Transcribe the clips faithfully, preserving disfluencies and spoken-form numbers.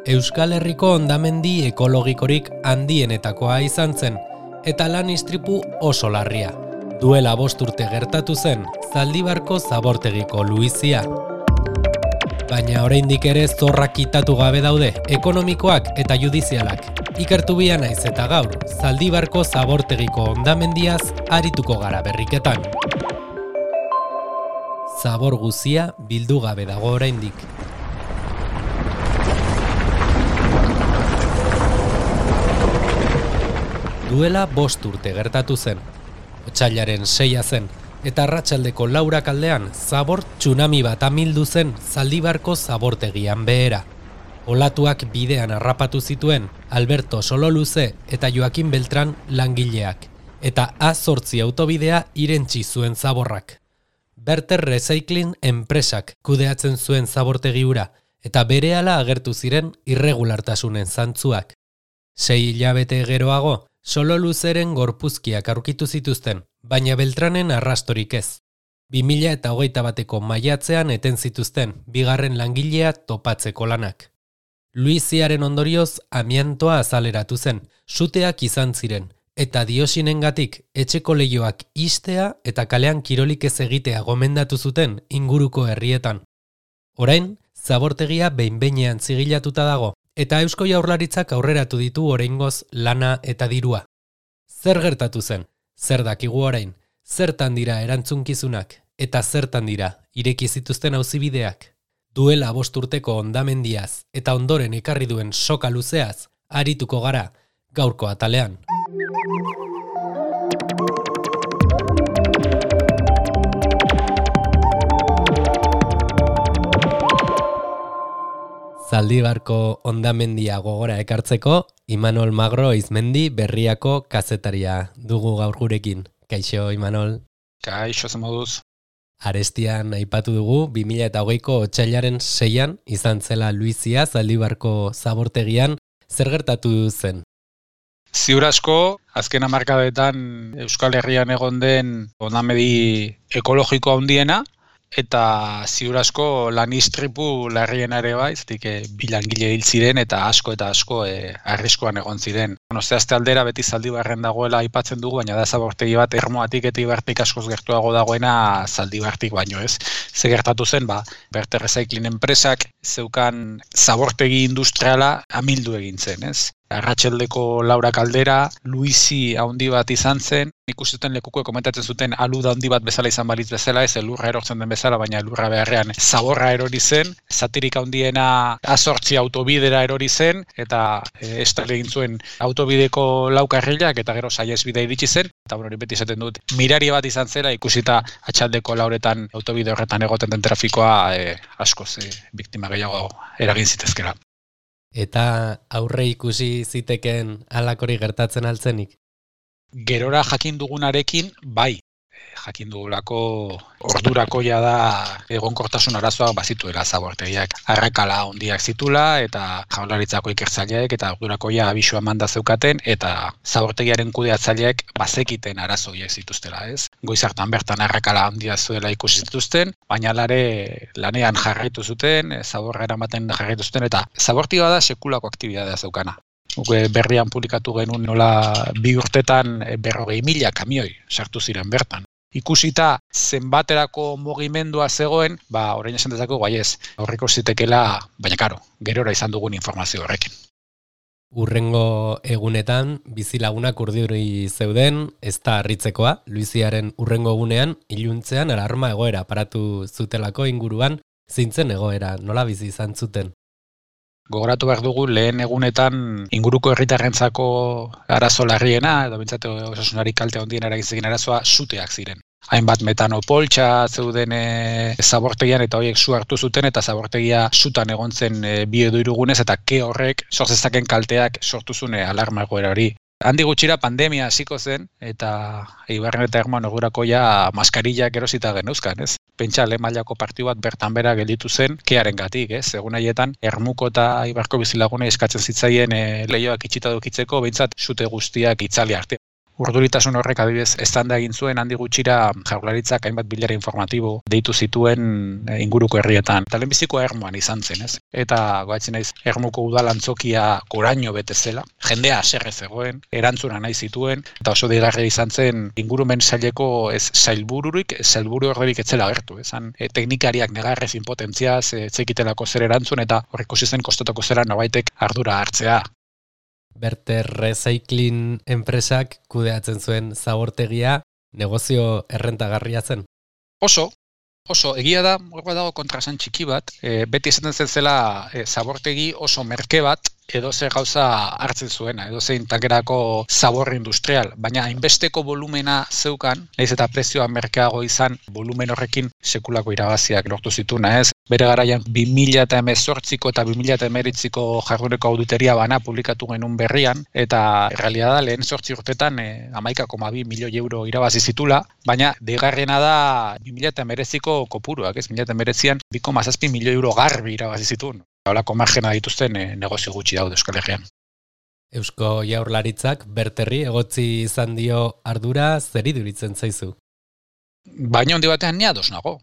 Euskal Herriko hondamendi ekologikorik handienetakoa izan zen, eta lan istripu oso larria. Duela bost urte gertatu zen, Zaldibarko zabortegiko luizia. Baina oraindik ere zorrak kitatu gabe daude, ekonomikoak eta judizialak. Ikertu bia naiz eta gaur, Zaldibarko zabortegiko hondamendiaz arituko gara berriketan. Zabor guzia bildu gabe dago oraindik. Duela bost urte gertatu zen. Otsailaren seia zen, eta arratsaldeko laurak aldean zabor tsunami bat amildu zen Zaldibarko zabortegian behera. Olatuak bidean harrapatu zituen Alberto Sololuze eta Joaquin Beltran langileak, eta A zortzi autobidea irentsi zuen zaborrak. Berter Recycling enpresak kudeatzen zuen zabortegi hura, eta berehala agertu ziren irregulartasunen zantzuak. Sei hilabete geroago, Sololuzeren gorpuzkiak aurkitu zituzten, baina Beltranen arrastorik ez. bi mila eta hogeita bateko maiatzean eten zituzten, bigarren langilea topatzeko lanak. Luiziaren ondorioz amiantoa azaleratu zen, suteak izan ziren, eta diosinengatik etxeko leihoak istea eta kalean kirolik ez egitea gomendatu zuten inguruko herrietan. Orain, zabortegia behin-behinean zigilatuta dago, eta Eusko Jaurlaritzak aurreratu ditu oraingoz lana eta dirua. Zer gertatu zen? Zer dakigu orain? Zertan dira erantzunkizunak? Eta zertan dira ireki zituzten auzibideak? Duela bost urteko hondamendiaz eta ondoren ekarri duen soka luzeaz arituko gara gaurko atalean. Zaldibarko hondamendia gogora ekartzeko, Imanol Magro Izmendi Berriako kazetaria dugu gaur gurekin. Kaixo, Imanol? Kaixo, zemoduz. Arestian aipatu dugu, bi mila eta hogeiko otsailaren seian izan zela Luizia Zaldibarko zabortegian, zer gertatu zen? Ziur asko, azken hamarkadetan Euskal Herrian egon den hondamendi ekologiko handiena, eta ziur asko lan istripu larriena ere bai, zetik e, bi langile hil ziren eta asko eta asko e, arriskuan egon ziren. Bueno, zehazte aldera beti Zaldibarren dagoela aipatzen dugu, baina da zabortegi bat Ermoatik eta Ibartik askoz gertuago dagoena Zaldibartik baino ez. Ze gertatu zen, ba, Berter Recycling enpresak zeukan zabortegi industriala amildu egin zen, ez? Arratseldeko laurak aldera, Luizi handi bat izan zen, ikusiten lekuko komentatzen zuten aluda handi bat bezala izan balitz bezala, ez elurra erortzen den bezala, baina elurra beharrean zaborra erori zen, zatirik handiena A zortzi autobidera erori zen, eta e, estali egin zuen autobideko laukarrilak, eta gero saihesbidea iritsi zen, eta bueno, hori beti esaten dut, mirari bat izan zela, ikusita atxaldeko lauretan autobide horretan egoten den trafikoa e, askoz e, biktima gehiago eragin zitezkera. Eta aurre ikusi ziteken halakori gertatzen altzenik? Gerora jakin dugunarekin, bai. Jakin dugulako ordurakoia da egonkortasun arazoak bazituela zabortegiak. Arrakala handiak zitula eta Jaurlaritzako ikertzaileek eta ordurakoia abisua manda zeukaten eta zabortegiaren kudeatzaileek bazekiten arazo horiek zituztela, ez? Goiz hartan bertan arrakala handia zuela ikusi zituzten, baina lare lanean jarraitu zuten, zaborra eramaten jarraitu zuten eta zabortegia da sekulako aktibitatea zeukana. Berrian publikatu genuen nola bi urtetan berrogei mila kamioi sartu ziren bertan. Ikusita zenbaterako mugimendua zegoen, ba, orain esan dezakegu baiez, aurreko zitekela, baina karo, gerora izan dugun informazio horrekin. Urrengo egunetan, bizilagunak urduri zeuden, ez da harritzekoa, Luiziaren urrengo egunean, iluntzean alarma egoera paratu zutelako inguruan, zintzen egoera, nola bizi izan zuten? Gogoratu behar dugu lehen egunetan inguruko herritarrentzako arazo larriena, edo bintzate osasunari kalte handien eragin arazoa suteak ziren. Hainbat metano poltsa zeuden e, zabortegian eta horiek su hartu zuten eta zabortegia sutan egon zen e, bi edo hiru egunez eta ke horrek sortzezaken kalteak sortu zuen alarma egoera hori. Handi gutxira pandemia hasiko zen eta Ibarren eta Ermuan ordurakoia maskarillak erosita geneuzkan, ez? Pentsa lehen mailako partidu bat bertan bera gelditu zen kearengatik, ez? Egun haietan Ermuko eta Ibarko bizilagunei eskatzen zitzaien e, leihoak itxita dukitzeko behintzat sute guztiak itzali arte. urduritasun horrek adibidez eztanda egin zuen handi gutxira Jaurlaritzak hainbat bilera informatibo deitu zituen inguruko herrietan. Eta lehenbiziko Ermuan izan zen, ez? Eta goatzen naiz Ermuko udalantzokia goraino bete zela, jendea haserre zegoen, erantzuna nahi zituen, eta oso deigarria izan zen ingurumen saileko ez sailbururik, ez sailburu horrerik etzela agertu, ezan e, teknikariak negarrez impotentziaz, e, zekitelako zer erantzun, eta horrek zen kostatako zera nobaitek ardura hartzea. Berter Recycling enpresak kudeatzen zuen zabortegia negozio errentagarria zen. Oso, oso, egia da, hor dago kontrasan txiki bat, e, beti esaten zen zela e, zabortegi oso merke bat, edo zer gauza hartzen zuena, edo zein tankerako zabor industrial, baina hainbesteko volumena zeukan, nahiz eta prezioa merkeago izan, volumen horrekin sekulako irabaziak lortu zituna, ez? Bere garaian bi mila hemezortziko eta bi mila hemeretziko jarduneko auditoria bana publikatu genuen berrian, eta errealitatea lehen zortzi urtetan e, hamaika koma bi milioi euro irabazi zitula, baina deigarriena da bi mila hemeretziko kopuruak, ez? bi mila hemeretzian bi koma zazpi milioi euro garbi irabazi zituen. Holako margena dituzten e, negozio gutxi daude Euskal Herrian. Eusko Jaurlaritzak Berterri egotzi izan dio ardura, zer iduritzen zaizu? Baina handi batean ni ados nago.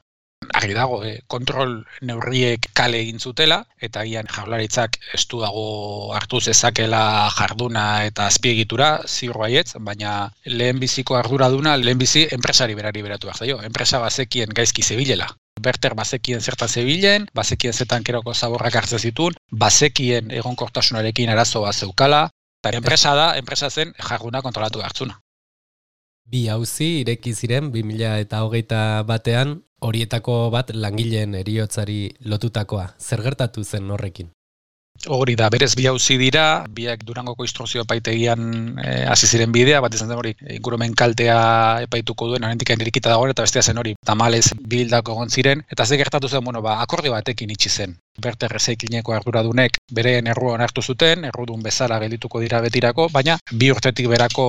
Argi dago, eh, kontrol neurriek kale egin zutela, eta agian Jaurlaritzak estu dago hartu zezakela jarduna eta azpiegitura, ziur baietz, baina lehenbiziko arduraduna, lehenbizi enpresari berari beratu behar zaio. Enpresa bazekien gaizki zebilela. Berter bazekien zertan zebilen, bazekien zetan keroko zaborrak hartzen zituen, bazekien egonkortasunarekin arazo bat zeukala, eta enpresa da, enpresa zen jarduna kontrolatu hartzuna. Bi auzi ireki ziren bi mila hogeita batean, horietako bat langileen heriotzari lotutakoa. Zer gertatu zen horrekin? Hori da, berez bi auzi dira, biak Durangoko instrukzio epaitegian e, hasi ziren bidea, bat izan zen hori ingurumen kaltea epaituko duen, oraindik irikita dagoen, eta bestea zen hori tamalez bildako egon ziren, eta ze gertatu zen, bueno, ba, akordio batekin itxi zen. Berter Recyclingeko arduradunek bereen errua onartu zuten, errudun bezala geldituko dira betirako, baina bi urtetik berako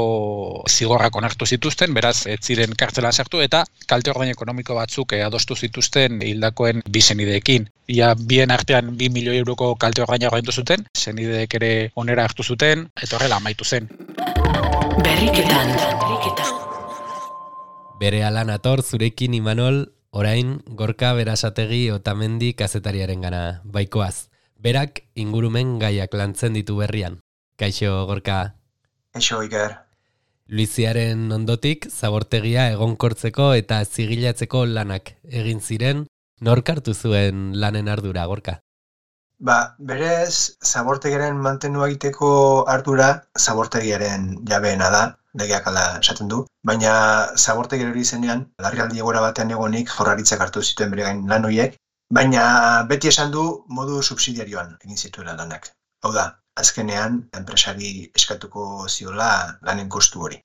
zigorrak onartu zituzten, beraz ez ziren kartzelan sartu, eta kalte ordain ekonomiko batzuk e, adostu zituzten hildakoen bi senideekin. Ia bien artean bi milioi euroko kalte ordaina ordaindu zuten, senideek ere onera hartu zuten, eta horrela amaitu zen. Berriketan, berriketan. Bere alan ator zurekin Imanol, orain Gorka Berasategi Otamendi kazetariaren gana baikoaz. Berak ingurumen gaiak lantzen ditu berrian. Kaixo, Gorka. Kaixo, Iker. Luiziaren ondotik zabortegia egonkortzeko eta zigilatzeko lanak egin ziren, nork hartu zuen lanen ardura, Gorka? Ba, berez, zabortegiaren mantenua egiteko ardura zabortegiaren jabeena da, legeak ala esaten du, baina zabortegiaren hori zenean, larrialdi egoera batean egonik Jaurlaritzak hartu zituen bere gain lan horiek, baina beti esan du modu subsidiarioan egin zituela lanak. Hau da, azkenean enpresari eskatuko ziola lanen kostu hori.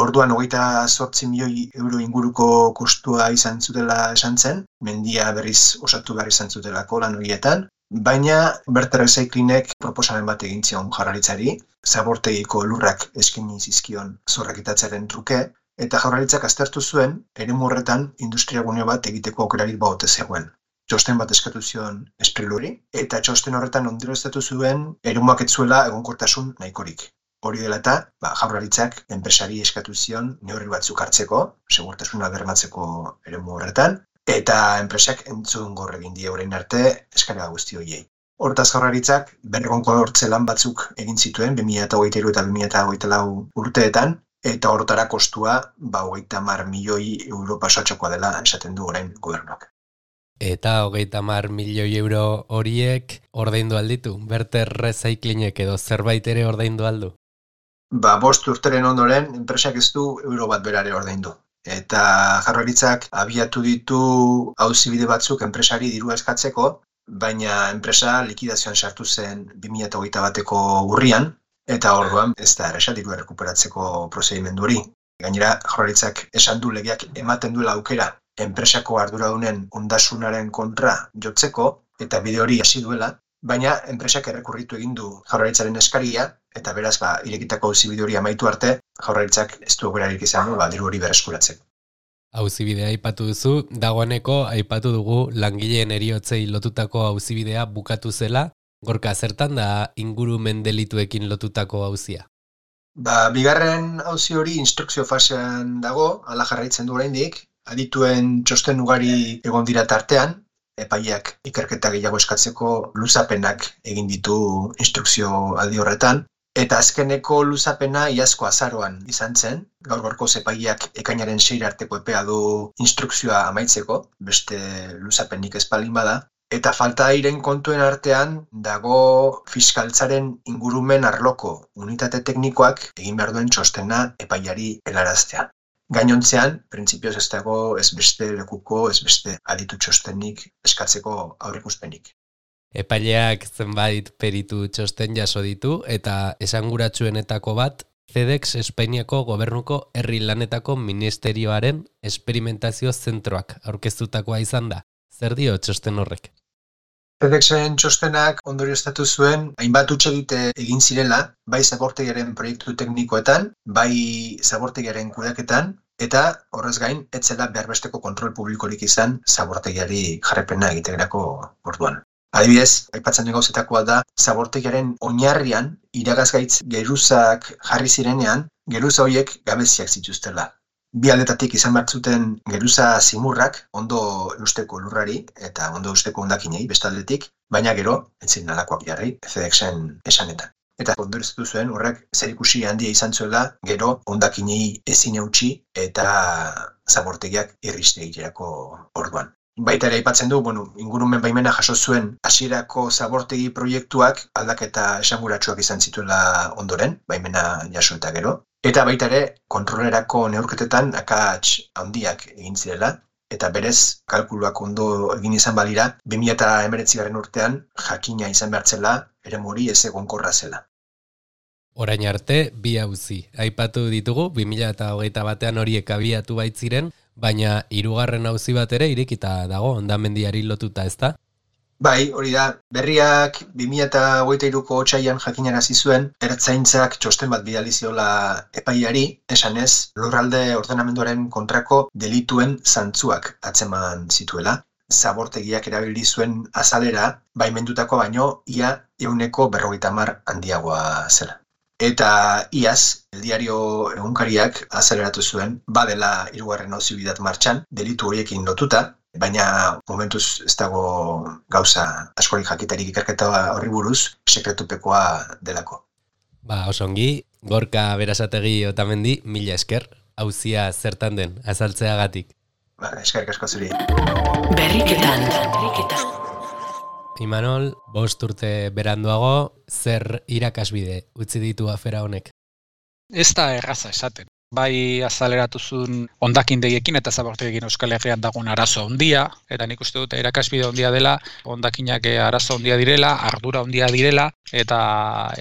Orduan hogeita zortzi milioi euro inguruko kostua izan zutela esan zen, mendia berriz osatu behar izan zutelako lan horietan, baina Berter Recyclingek proposamen bat egin zion Jaurlaritzari, zabortegiko lurrak eskaini zizkion zorrakitatzearen truke, eta Jaurlaritzak aztertu zuen, eremu horretan industriagune bat egiteko aukerarik baote zegoen. Txosten bat eskatu zion espreluri, eta txosten horretan ondorioztatu zuen eremuak ez zuela egonkortasun nahikorik. Hori dela eta, ba, Jaurlaritzak enpresari eskatu zion neurri batzuk hartzeko, segurtasuna bermatzeko eremu horretan, eta enpresak entzun gorre egin die orain arte eskaera guzti horiei. Hortaz Jaurlaritzak berregonkortze lan batzuk egin zituen bi mila hogeita hiru eta bi mila hogeita lau urteetan, eta hortara kostua ba hogeita hamar milioi euro pasatxokoa dela esaten du orain gobernuak. Eta hogeita hamar milioi euro horiek ordaindu alditu? Berter Recyclingek edo zerbait ere ordaindu aldu? Ba, bost urteren ondoren, enpresak ez du euro bat berare ordaindu. Eta Jaurlaritzak abiatu ditu auzibide batzuk enpresari dirua eskatzeko, baina enpresa likidazioan sartu zen bi mila hogeita bateko urrian, eta orduan ez da erresa dirua rekuperatzeko prozedimendu hori. Gainera, Jaurlaritzak esan du legeak ematen duela aukera enpresako arduradunen ondasunaren kontra jotzeko, eta bide hori hasi duela, baina enpresak errekurritu egin du Jaurlaritzaren eskaria, eta beraz, ba, irekitako auzibide hori amaitu arte, Jaurlaritzak ez du aukerarik izan du, ba, diru hori berreskuratzeko. Auzibidea aipatu duzu, dagoeneko aipatu dugu langileen heriotzei lotutako auzibidea bukatu zela, Gorka, zertan da ingurumen delituekin lotutako auzia? Ba, bigarren auzi hori instrukzio fasean dago, hala jarraitzen du oraindik, adituen txosten ugari egon dira tartean, epaileak ikerketa gehiago eskatzeko luzapenak egin ditu instrukzio aldi horretan, eta azkeneko luzapena iazko azaroan izan zen, gaur gaurko epaileak ekainaren seira arteko epea du instrukzioa amaitzeko, beste luzapenik ez baldin bada, eta falta diren kontuen artean dago fiskaltzaren ingurumen arloko unitate teknikoak egin behar duen txostena epaileari helaraztea. Gainontzean, printzipioz ez dago ez beste lekuko, ez beste aditu txostenik eskatzeko aurreikuspenik. Epaileak zenbait peritu txosten jaso ditu eta esanguratsuenetako bat FedEx Espainiako gobernuko herri lanetako ministerioaren esperimentazio zentroak aurkeztutakoa izan da. Zer dio txosten horrek? FedExen txostenak ondorioztatu zuen hainbat hutsegite egin zirela, bai zabortegiaren proiektu teknikoetan, bai zabortegiaren kudeaketan, eta horrez gain, ez zela behar besteko kontrol publikorik izan zabortegiari jarrepena egiterako orduan. Adibidez, aipatzen den gauzetakoa da, zabortegiaren oinarrian iragazgaitz geruzak jarri zirenean, geruza horiek gabeziak zituztela. Bi aldetatik izan behar zuten geruza zimurrak ondo eusteko lurrari eta ondo eusteko hondakinei bestaldetik, baina gero, entzin nalakoak jarri, FedExen esanetan. Eta ondorioztatu zuen horrek zerikusi handia izan zuela gero hondakinei ezin eutsi eta zabortegiak irriste egiterako orduan. Baita ere aipatzen du, bueno, ingurumen baimena jaso zuen hasierako zabortegi proiektuak aldaketa esanguratsuak izan zituela ondoren, baimena jaso eta gero. Eta baita ere, kontrolerako neurketetan akats handiak egin zirela, eta berez, kalkuluak ondo egin izan balira, bi mila hemeretzigarren urtean jakina izan behartzela, ere mori ez egonkorra zela. Orain arte, bi auzi. Aipatu ditugu, bi mila hogeita batean horiek abiatu baitziren, baina hirugarren auzi bat ere irekita dago hondamendiari lotuta, ezta? Bai, hori da, berriak bi mila hogeita hiruko otsailean jakinarazi zuen, ertzaintzak txosten bat bidali ziola epaileari, esanez, lurralde ordenamenduaren kontrako delituen zantzuak atzeman zituela. Zabortegiak erabili zuen azalera, baimendutako baino, ia ehuneko berrogeita hamar handiagoa zela. Eta iaz, El Diario egunkariak azaleratu zuen, badela hirugarren auzi bidat martxan, delitu horiekin lotuta, baina momentuz ez dago gauza askorik jakitarik ikerketa horri buruz, sekretupekoa delako. Ba, osongi, Gorka Berasategi Otamendi, mila esker, auzia zertan den, azaltzeagatik. Ba, eskerrik asko zuri. Berriketan, berriketan. Imanol, bost urte beranduago, zer irakasbide utzi ditu afera honek? Ez da erraza esaten. Bai azaleratu zuen hondakindegiekin eta zabortegiekin Euskal Herrian dagoen arazo handia, eta nik uste dut irakasbide handia dela, hondakinak arazo handia direla, ardura handia direla, eta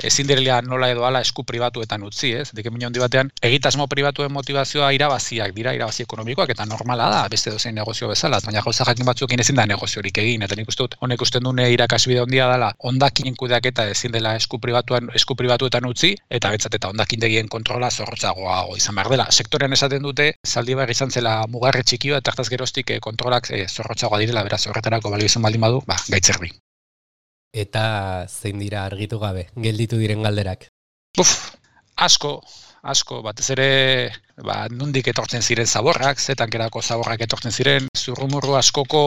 ezin direla nola edo ala esku pribatuetan utzi, ez? Dekemin handi batean, egitasmo pribatuen motivazioa irabaziak dira, irabazi ekonomikoak, eta normala da, beste dozein negozio bezala, baina gauza jakin batzuekin ezin da negoziorik egin, eta nik uste dut, honek usten dune irakasbide handia dela, hondakinen kudeaketa ezin dela esku pribatuan, esku pribatuetan utzi, eta betzat eta hondakindegien kontrola zorrotzagoa izan behar dela. Sektorean esaten dute, Zaldibar izan zela mugarri txikioa, eta hartaz geroztik kontrolak e, zorrotzagoa direla, beraz horretarako balio izan baldin badu, ba, gaitzerdi. Eta zein dira argitu gabe, gelditu diren galderak? Uf, asko, asko, batez ere, ba, nondik etortzen ziren zaborrak, zetankerako zaborrak etortzen ziren, zurrumurru askoko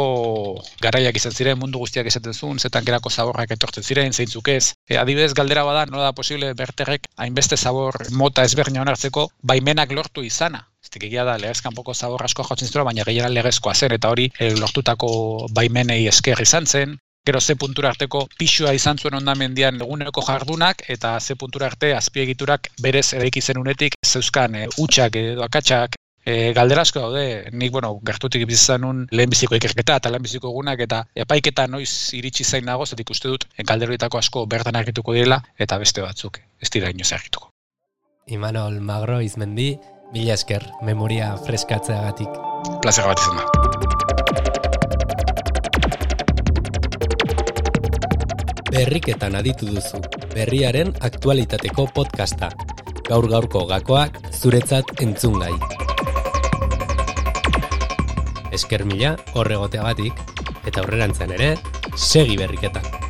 garaiak izan ziren, mundu guztiak esaten zuen, zetankerako zaborrak etortzen ziren, zeintzuk ez. E, adibidez galdera bada, nola da posible berterrek hainbeste zabor mota ezberdina onartzeko baimenak lortu izana. Eztik egia da, legezkanpoko zabor asko jotzen zituen, baina gehienan legezkoa zen, eta hori e, lortutako baimenei esker izan zen. Gero ze puntura arteko pixua izan zuen hondamendian eguneko jardunak, eta ze puntura arte azpiegiturak berez eraiki zen unetik zeuzkan e, utxak edo akatsak. E, galdera asko daude, nik bueno, gertutik bizizanun lehenbiziko ikerketa eta lehenbiziko egunak, eta epaiketa noiz iritsi zain nago, zetik uste dut galderoitako asko bertan argituko direla, eta beste batzuk ez dira inoz argituko. Imanol Magro Izmendi, mila esker, memoria freskatzeagatik. Plazer bat izan da. Berriketan aditu duzu, berriaren aktualitateko podcasta. Gaur gaurko gakoak zuretzat entzungai. Esker mila horregoteagatik, eta aurrerantzean ere, segi berriketan.